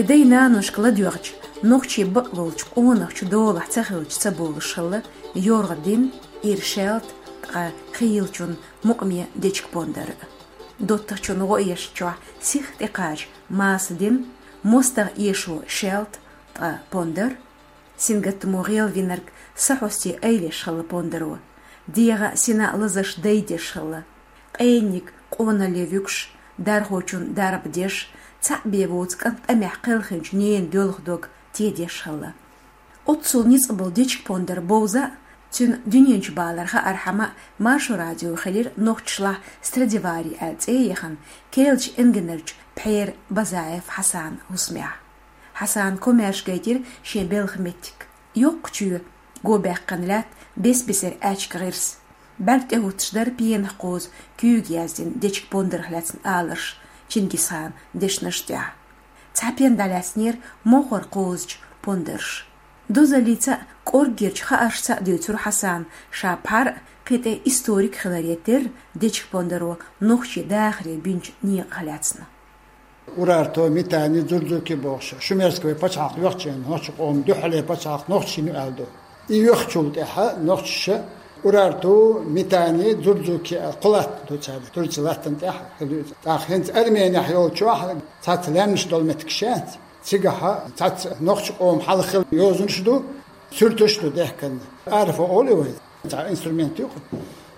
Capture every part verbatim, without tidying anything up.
Дай-наношка ладоьгӀча, нохчий бакъволча къонахчун долахь ца хилча ца болуш хилла йоргӀа дин, ира шаьлта, ткъа хийлачун мукъаме дечка-пондар. ДоттагӀчун гӀо эшначохь сиха тӀекхача маса дин, мостагӀа эшо шаьлта, ткъа пондар. Сингаттамо гӀелвинарг са хьосте айлеш хилла пондаро. ДегӀа сина лазаш дайдеш хилла. Къенниг къоналле вуьгуш, дархочун дарба деш, цхьаъ бен воцу кӀант тӀамехь кхелхинчу ненан доьлху дог тедеш хилла. Оццул ницкъ болу дечка-пондар бовза а, цуьнан дуьнен чу балар хаархьама а Маршо радио хилира нохчашлахь Страдивари аьлла цӀе а яхана, керлачу энгийнарчу пхьера Базаев Хьасана хӀусамехь. Хьасана комаьрша гайтира шен белхан меттиг. Йоккха чоь, го баьккхина лаьтта, бес-бесара аьчка гӀирс. БӀаьрг тӀехӀуттуш дара пенах кхозу куьйга яздина дечка-пондарх лаьцна аларш Чингисхана дешнаш тӀехь. Цхьа пен дӀалаьцнера мохор кхозучу пондарша. Дозаллица а, кӀорггерчу хааршца а дуьйцура Хьасана, ша пхьар а, кхин тӀе историк хиларе терра, дечка-пондаро нохчийн дахаре бинчу некъах лаьцна. Урарту, Митани, Дзурдзуки бохуш, шумерский вай пачхьалкх йоьхча, нохчийн къоман дуьххьарлера пачхьалкх нохчийн ю аьлла ду. И йоьхчул тӀаьхьа нохчаша Урарту, Митани, Дзурдзуки аьлла кхо латта ду цара, Турци латтана тӀехь хилла иза. ТӀаккха хӀинца Арменехь йолчохь цхьацца лаьмнаш долу меттигаш яц. Цигахь цхьацца нохчийн къоман хьалха хилла йозанаш ду, суьрташ ду дехкина. Арфа олу вай. Цхьа инструмент ю-кх.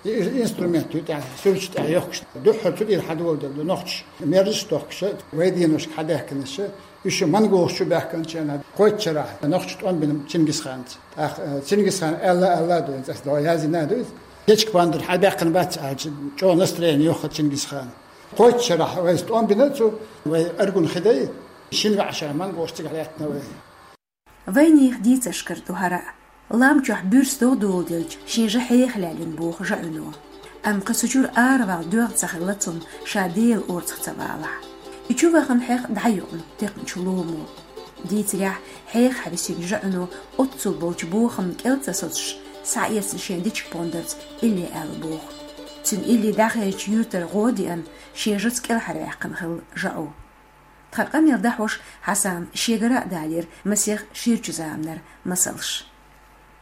И инструмент ю тӀехь, суьрташ тӀехь йохкуш. Дуьххьара цу тӀера хьадоладелла ду нохчаша, мерзаш а тохкуш, вай деношка хьадаьхкинарш, уьш монголаш чу баьхкинчу хенахь кхойтта шарахь нохчаша тӀом бина Чингисханца. ТӀаккха, э, Чингисхана аьлла, аьлла а ду, иза аса догӀу яздина а ду иза. Дечка-пондар хьабаьккхина бац аьлча, чӀогӀа настроение йохкура Чингисхана. Кхойтта шарахь вайца тӀом бина цо, вай Аргун хи дай, шина ваьӀашара монголаш цигахь лаьттина вай. Вайнехан дийцаршкара ду хӀара а. Лам чохь буьрса догӀа доладелча, шен жа хьеха лаьллина боху ЖаӀуьно. Амма кхин цу чуьра аравала доьгӀна ца хилла цунна, ша Делан орцах ца валахь. И чу вахана хьех дӀаюкъна текхначу ломо. Дийцарехь, хьеха хьаьвсинчу ЖаӀуьно оццул болчу бохамна кӀел ца соцуш, схьаэцна шен дечка-пондарца илли аьлла боху. Цуьнан илли дӀахаьжча юьртара гӀо а деана, шен жаца кӀелхьарваьккхина хилла ЖаӀу. Тхан къамел дӀахьош Хьасана шегара а далийра масех ширачу заманара масалш.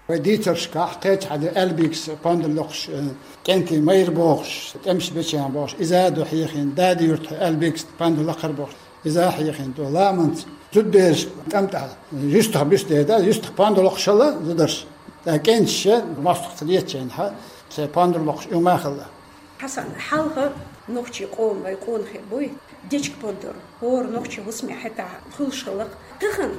Вай дийцаршкахь кхечахьа ду Аьлбикс пондар локхуш, э, кӀентий майра бохуш, тӀемаш бечу бохуш, иза а ду хьехийна, Дада-Юьртахь Аьлбикс пондар лакхара бохуш, иза а хьехийна ду. Ламанца зудбераш тӀам тӀехь юьстах буьсу дерг дац, юьстах пондар локхуш хилла зударша. ТӀаккха кӀенташа мостагӀ ца летачу хенахь, церан пондар локхуш уьма а хилла. Хьасан, хьалха нохчийн къоман вай къонахий буй, дечка-пондар хӀора нохчийн хӀусаме хьетахь хуьлуш хилла-кх. Тахана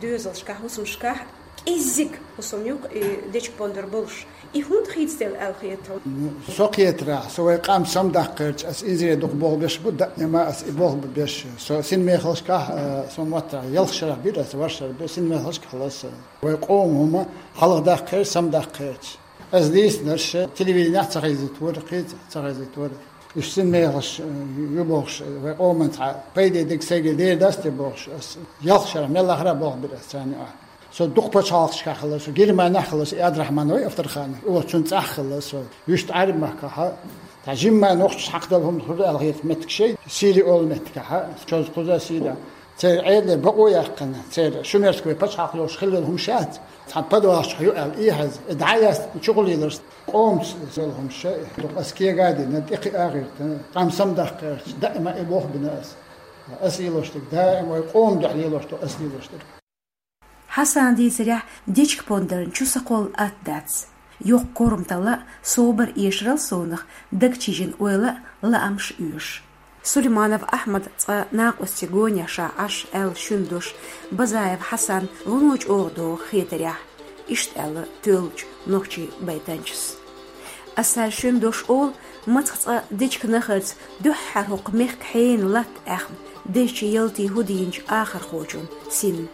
доьзалшкахь, хӀусамашкахь кӀеззиг хӀусам ю-кх и дечка-пондар болуш. И хӀунда хийцаделла аьлла хета хьуна? Ну, со кхетарехь, со вай къам самадаккхарчу, ас инзаре дукха болх беш бу, даима ас и болх бу беш. Со синмехаллашкахь, э, со моттарахь ялх шарахь бира ас, ворхӀ шарахь бира, синмехаллашкахь хилла ас. Вай къоман хӀума хьалха даккхарчу, самадаккхарчу. Ас дийцинарш телевиденехь ца хезийта вара, кхин ца хезийта вара. Уьш синмехаллаш, э, ю бохуш, вай къоман цхьа пайде дерг сайгара дер дац те бохуш, ас ялх шарахь мел лахара болх бира ас царна юкъахь. Со дукха пачхьалкхашкахь хилла, со Германехь хилла, со Абдрахьман вай Авторханов, о, цуьнан цӀахь хилла со. Вуьшта Ӏаьрбийн махкахь, цхьа жимма нохчаша хьакхадала хӀума хуьлу аьлла хета меттигаш, Сири олу меттигехь, чоза кхуза Сири. Церан Ӏедале бакъо яьккхина, церан шумерский вай пачхьалкх йолуш хилла хӀума шац, цхьана подвалаш чохь ю аьлла, и хьаьзза, и дӀа а яьстина, чухула леларш, къомаца йолу хӀума ша, дукха ас кега а дина, тӀекхиа а гӀиртина, къам самадаккхарчу, даима и болх бина ас. Ас лелош дерг, даима вай къоман дуьхьа лелош ду ас лелош дерг. Хьасана дийцарехь, дечка-пондарна чу са кхолла атта дац. Йоккха корматалла а, собар эшарал совнах, дагчижина ойла а, лаамаш оьшу. Сулейманов Ахьмад цкъа накъостий гонехь ша Ӏаш аьлла шуьнан дош Базаев Хьасан вуно чӀогӀа догӀу хетарехь, иштта аьлла тоьллачу нохчийн байтанчас. Ас цара шуьнан дош олу, мацах цкъа дечка нахарца дуьххьара хӀокху мехкан хьенан латта аьхна, дезачу ялтин хӀу дийначу ахархочун синна.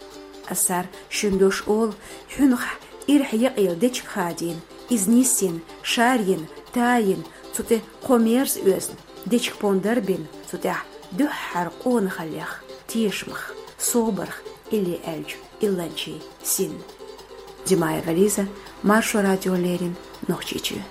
Ас цара шуьнан дош олу, хьуьнхахь ирхьа якъаелла дечка хадийна, иза нисйина, шарйина, тайина, цу тӀе кхо мерза оьзна, дечка-пондар бина, цу тӀехь дуьххьара къонахаллех, тешамах, собарх илли аьллачу илланчийн синна. Димаева Лиза, Маршо радиона леррина, Нохчийчоь.